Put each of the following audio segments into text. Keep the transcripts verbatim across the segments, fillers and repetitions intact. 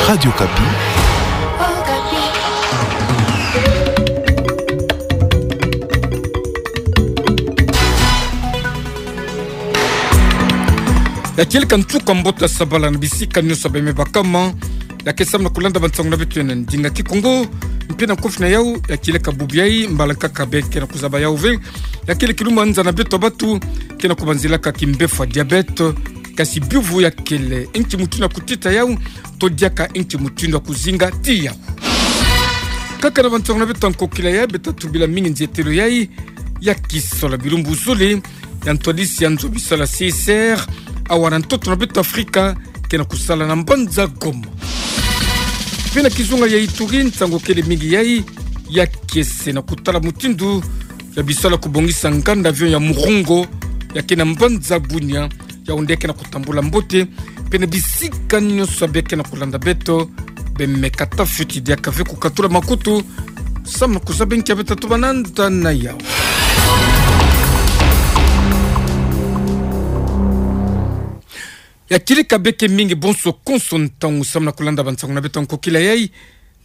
Radio Okapi. Ya kieleka nsuka mbote ya sabala na bisika nyonso bemebakama. Ya ke samu na kulanda bansangu na beto ya na ndinga Kikongo. Mpe na kofi na yau, ya kieleka bubu yai, mbala nkaka be ke na kuzaba yau ve. Ya kele kilumbu ya nza na beto batu ke na kubanzilaka kimbefo ya diabète. Kasi biyuvu ya kele, nki mutindu ya kutita yau, to diaka nki mutindu ya kuzinga ti yau. Kaka na bansangu na beto ya nkokila yai, beta tubila mingi nzietelo yai ya kisola bilumbu zole ya ntwadisi ya nzo bisalu ya C I C R, awa na ntoto na beto Afrika, ke na kusala na mbanza Goma. Mpe na kizunga ya Ituri, nsangu kele mingi yai ya kiese na kutala mutindu ya bisalu ya kubongisa nganda avion ya Murungo, ya ke na mbanza Bunia, yau nde ke na kutambula mbote, mpe na bisika nyonso be ke na kulanda beto, bemeka ta fioti diaka ve kukatula makutu, samu na kuzaba nki ya beta tuba na nda na yau. Ya kieleka beke mingi bonso konso ntangu samu na kulanda bansangu na beto ya nkokila yai,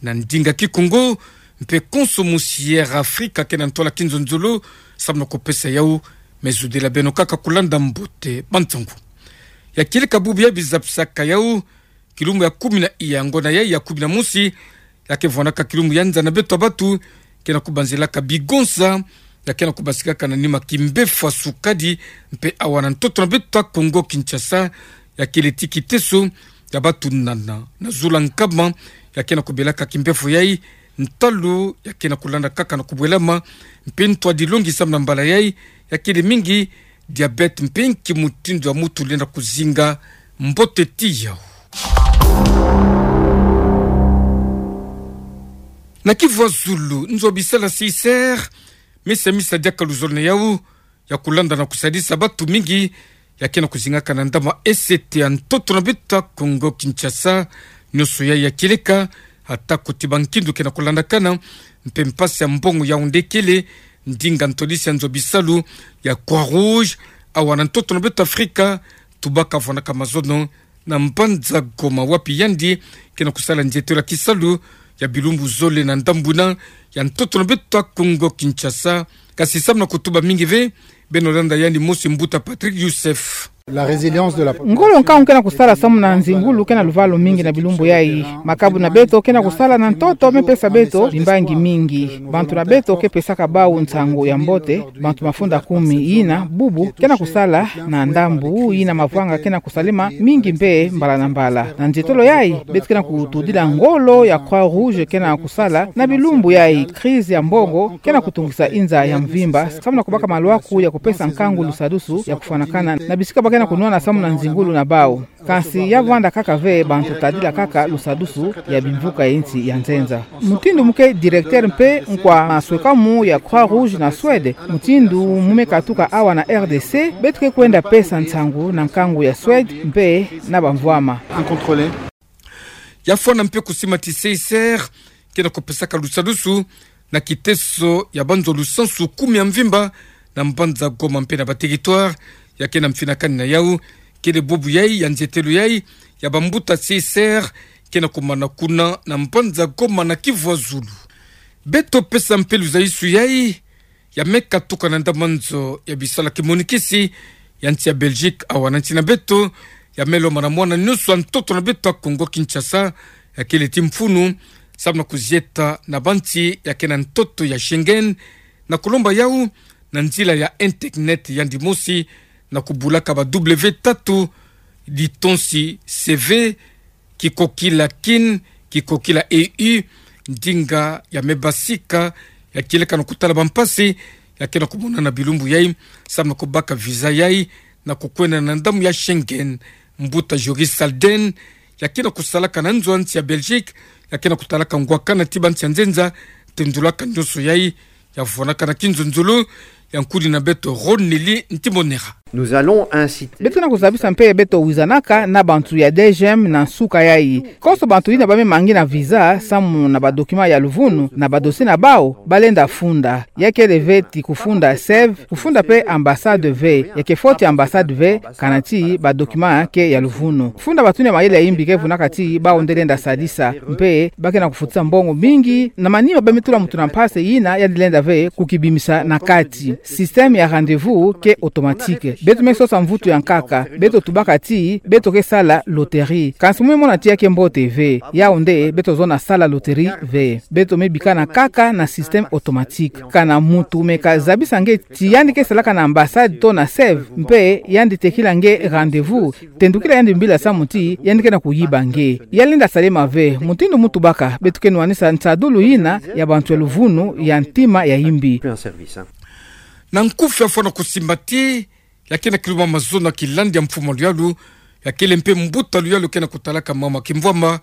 na ndinga Kikongo, mpe konso mosi Air Afrika ke na ntwala kinzonzolo, samu na kupesa yau, me zudila beno kaka kulanda mbote bansangu. Ya kieleka bubu ya bizapisaka yau, kilumbu ya kumi na iya ngona yai ya kumi na mosi, ya ke vwanaka kilumbu ya nza na beto batu, ke na kubanzilaka bigonza, ya ke na kubasikaka na nima kimbefo ya sukadi, mpe awa na ntoto na beto Kongo Kinshasa, ya kele ti kiteso ya batu nana na zula nkama, ya ke na kubelaka kimbefo yai, ntalu ya ke na kulanda kaka na kubwelama, mpe ntwadilongi samu na mbala yai, ya kele mingi diabète mpe nki mutindu ya mutu lenda kuzinga mbote ti yau. Na kivwazulu, nzo bisalu ya C I C R, misa misa diaka luzolo na yau, ya kulanda na kusadisa batu mingi, ya ke na kuzingaka na ndambu ya esete ya ntoto na beto Kongo Kinshasa, nyonso yai ya kieleka, atako ti bankindu ke na kulandakana, mpe mpasi ya mbongo yau nde kele, ndinga ntwadisi ya nzo bisalu ya Croix-Rouge, awa na ntoto na beto Afrika, tubaka vwanaka mazono, na mbanza Goma wapi yandi ke na kusala nzietelo ya kisalu ya bilumbu zole na ndambu na ya ntoto na beto Kongo Kinshasa. Kasi samu na kutuba mingi ve, beno landa yandi mosi mbuta Patrick Youssef. La résilience de la population. Ngolo nkangu ke na kusala samu na nzingulu ke na luvalu mingi na bilumbu yai. Makabu na beto ke na kusala na ntoto me pesa beto bimbangi mingi. Bantu na beto ke pesaka bau nsangu ya mbote, bantu mafunda kumi yina bubu ke na kusala na ndambu yina mavwanga ke na kusalema mingi mpe mbala na mbala. Na nzietolo yai, beto ke na kutudila ngolo ya Croix-Rouge ke na kusala na bilumbu yai. Crise ya mbongo ke na kutungisa inza ya mvimba, samu na kubaka malwaku ya kupesa nkangu lusadusu ya kufwanakana na bisika ba ke na kunwana samu na nzingulu na bau. Kansi ya vwanda kaka ve bantu tadila kaka lusadusu ya bimvuka ya insi ya nzenza. Mutindu mu ke directeur mpe nkwa maswekamu ya Croix-Rouge na Suède, mutindu mu me katuka awa na R D C, beto ke kwenda pesa nsangu na nkangu ya Suède mpe na bamvwama. Incontrôlée. Ya fwana mpe kusima ti C I C R ke na kupesaka lusadusu na kiteso ya banzo lusansu kumi ya mvimba na mbanza Goma mpe na ba territoire ya ke na mfinakani na yau, kele bubu yai ya nzietelo yai ya bambuta C I C R ke na kumana kuna na mbanza Goma na kivwazulu. Beto pesa mpe luzayisu yai ya me katuka na ndambu ya nzo ya bisalu ya kimonikisi ya nsi ya Belgique awa na nsi na beto, ya me lomana mwana nyonso ya ntoto na beto ya Kongo Kinshasa, ya kele ti mfunu, samu na kuzieta na bansi ya ke na ntoto ya Schengen, na kulomba yau na nzila ya internet yandi mosi, na kubulaka ba W tatu, litonsi C V, kikokila kin, kikokila E U, ndinga ya me basika, ya kieleka na kutala bampasi ya ke na kumonana bilumbu yai, samu na kubaka visa yai, na kukwenda na ndambu ya Schengen. Mbuta Joris Salden, ya ke na kusalaka na nzo ya nsi ya Belgique, ya ke na kutalaka ngwakana ti bansi ya nzenza, tendulaka nyonso yai, ya vwanaka na kinzonzolo ya nkudi na beto Ron Nelly Ntimonera. Nous allons inciter. Beto ke na kuzabisa mpe beto wizanaka na bantu ya DGM na nsuka yayi. Konso bantu yina ba me mangi na visa, samu na ba documents ya luvunu, na ba dossiers na bawu, ba lenda funda. Ya kele ve ti kufunda SEV, kufunda mpe ambassade ve, ya ke foti ambassade ve, kana ti ba documents ke ya luvunu. Funda bantu yina mayele ya imbi ke vunaka ti bawu nde lenda sadisa, mpe ba ke na kufutisa mbongo mingi, na manima ba me tula muntu na mpasi yina yandi lenda ve kukibimisa na kati. Système ya rendez-vous ke automatique. Beto me sosa mvutu ya nkaka, beto tubaka ti beto ke sala loterie. Kansi mu me mona ti ya ke mbote ve. Yawu nde beto zona sala loterie ve. Beto me bikana kaka na système automatique. Kana muntu me kazabisa nge ti yandi ke salaka na ambassade to na SEV, mpe yandi tekila nge rendez-vous, tendukila yandi mbila samu ti yandi ke na kuyiba nge. Ya lenda salama ve. Mutindu mu tubaka, beto ke nwanisa nsadulu yina ya bantu ya luvunu ya ntima ya imbi. Na nkufi ya fwana kusimbati, ya ke na kiluma mazono ya kilandi ya mfumu a luyalu, ya kele mpe mbuta luyalu ke na kutalaka mama kimvwama,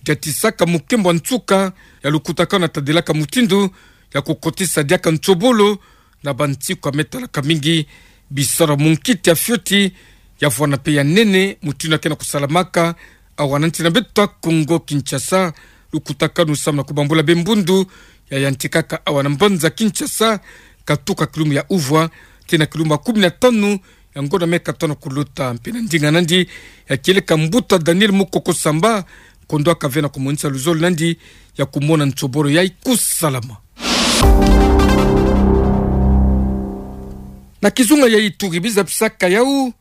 diatisaka mukembo wa nsuka ya lukutakanu, tadilaka mutindu ya kukotisa diaka nsobolo na bansiku ya me talaka mingi bisalu ya munkiti ya fioti, ya vwana mpe ya nene, mutindu ya ke na kusalamaka awa na nsi na beto ya Kongo Kinshasa. Lukutakanu samu na kubambula be mbundu ya yantikaka awa na mbanza Kinshasa, katuka kilumbu ya uvwa tii na kilumbu ya kumi na tanu ya ngonda me katono kuluta. Mpe na ndinga nandi, ya kieleka mbuta Daniel Mukoko Samba, kondwaka ve na kumonisa luzolo nandi ya kumona nsobolo yayi kusalama. Na kizunga ya Ituri, biza bisaka yawu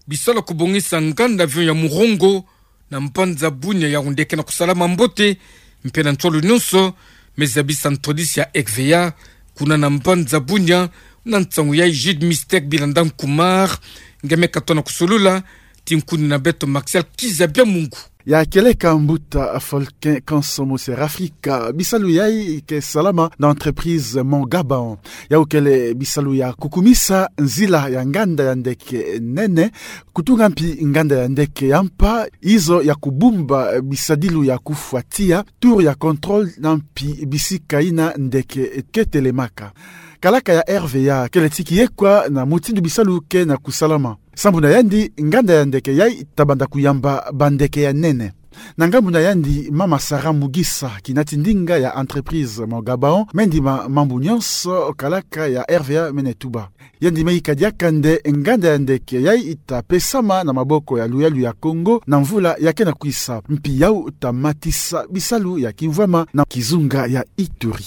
bisalu ya kubongisa nganda avion ya Murongo na mbanza Bunia, yawu nde ke na kusalama mbote, mpe na nsolo nyonso, me zabisa ntwadisi ya R V A kuna na mbanza Bunia. Na nsangu yayi, Jude Mystère Bilanda Nkumar nge me katono kusolula, tii nkuni na beto Martial Kiza Biamungu. Ya kieleka mbuta Folkin Kansomo Serafrika, bisalu yayi ke salama na entreprise Mont Gabaon. Yawu kele bisalu ya kukumisa nzila ya nganda ya ndeke nene, kutunga mpi nganda ya ndeke ya mpa, izo ya kubumba bisadilu ya kufwatia, tour ya contrôle, na mpi bisika yina ndeke ke telemaka. Kalaka ya R V A kele ti kiyekwa na mutindu bisalu ke na kusalama. Sambu na yandi, nganda ya ndeke yayi tabanda kuyamba bandeke ya nene. Na ngambu na yandi, mama Sarah Mugisa, kinati ndinga ya entreprise Mont Gabaon, me ndima mambu nyonso kalaka ya R V A mene tuba. Yandi me yika diaka nde nganda ya ndeke yayi tapesama na maboko ya luyalu ya Kongo na mvula ya ke na kwisa. Mpi yawu tamatisa bisalu ya kimvwama na kizunga ya Ituri.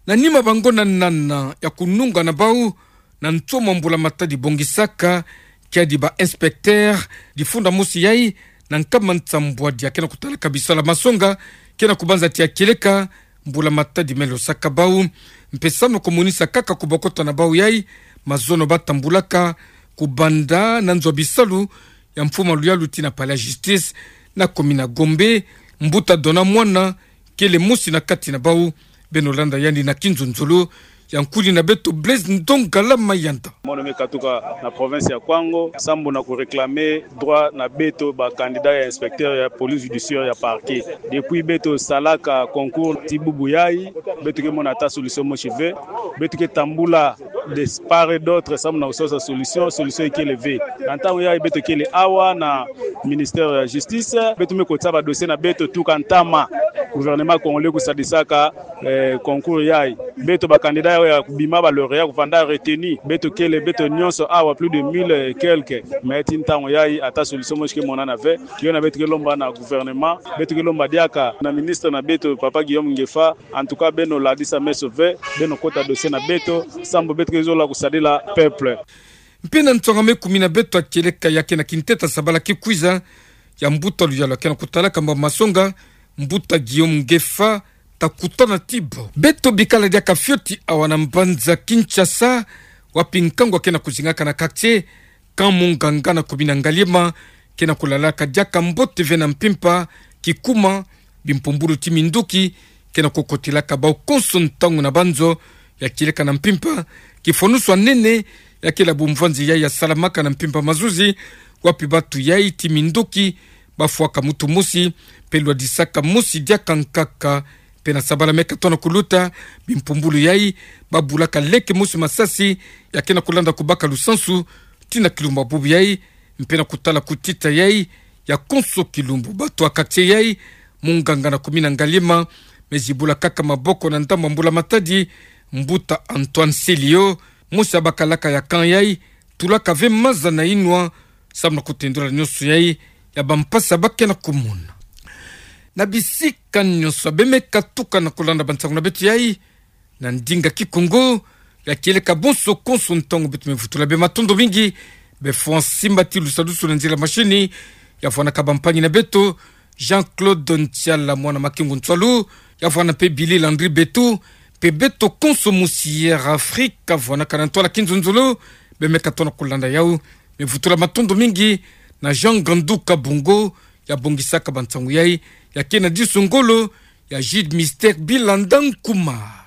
Na nima bangonda nana ya kununga na bawu na nsoni mbula-matadi bongisaka kiadi ba inspecteur, difunda mosi yayi na nkama nsambwadi ya ke na kutalaka bisalu ya masonga ke na kubanza tia kieleka mbula-matadi me losaka bawu. Mpe samu na kumonisa kaka kubokota na bawu yayi mazono batambulaka, kubanda na nzo ya bisalu ya mfumu a luyalu tii na palais ya justice na commune ya Gombe, mbuta Dona Mwana kele mosi na kati na bawu. Beno landa yandi na kinzonzolo ya nkuni na beto Blaise Ndongala Mayanda. Mono me katuka na province ya Kwango, sambu na kuréclamer droit na beto ba candidat ya inspecteur ya police judiciaire ya parquet. Depuis beto salaka concours tii bubu yayi, beto ke mona ata solution mosi ve. Beto ke tambula de part et d'autre, sambu na kusosa solution, solution ikele ve. Na ntangu yayi beto kele awa na ministère ya justice, beto me kotisa ba dossier na beto tuka ntama. Gouvernement congolais kusadisaka, eh, concours yayi. Beto ba candidat ya kubima, ba lauréat kuvanda retenu. Beto kele, beto nyonso awa, plus de mille et quelques. Mais tii ntangu yayi ata solution mosi ke monana ve. Yo na beto ke lomba na gouvernement, beto ke lomba diaka na ministre na beto, papa Guillaume Ngefa, en tout cas, beno ladisa meso ve, beno kota dossier na beto, sambu beto ke zola kusadila peuple. Mpe na nsonga me kumi na beto ya kieleka ya ke na kinteta sabala kikwiza, ya mbuta luyalu ya ke na kutalaka mba masonga, mbuta Guillaume Ngefa, takutana tii bo. Beto bikala diaka fioti awa na mbanza Kinshasa, wapi nkangu ya ke na kuzingaka na quartier Camp Monganga na commune ya Ngaliema, ke na kulalaka diaka mbote ve na mpimpa, kikuma, bimpumbulu tii minduki ke na kukotelaka bawu konso ntangu na banzo ya kieleka na mpimpa. Kifonusu ya nene ya kele bumvwanzi yayi ya salamaka na mpimpa mazuzi, wapi batu yayi tii minduki bafwaka mutu mosi, mpe lwadisaka mosi diaka nkaka. Mpe na sabala me katono kuluta, bimpumbulu yayi babulaka leke mosi masasi ya ke na kulanda kubaka lusansu tina kilumbu bubu yai, mpe na kutala kutita yai ya konso kilumbu. Bato ya quartier yai, munganga na kumina ngalima, me zibula kaka maboko na ndambu ya mbula matadi, mbuta Antoine Celio, mosi ya bakalaka ya camp yai, tulaka ve maza na inwa, samu na kutendula nyonso yai ya bampasi ba ke na kumona. Na bisika nyonso bemeka tuka na kulanda bansangu na beto yai na ndinga Kikongo, ya kieleka bonso konso ntangu beto mevutula bê matondo mingi, bê François Mbati Lusadusu na nzila machine, ya vwanaka bampangi na beto, Jean-Claude Ntiala, mwana Makengo Ntwalu, ya vwana mpe Billy Landry Betu, mpe beto konso musi Air Afrique, ya vwanaka na ntwala kinzonzolo, bemeka tona kulanda yau, mevutula matondo mingi na Jean Gandu Kabongo, ya bongisaka bansangu yai, ya ke na disu ngolo, ya Gide Mister Bilanda Nkuma.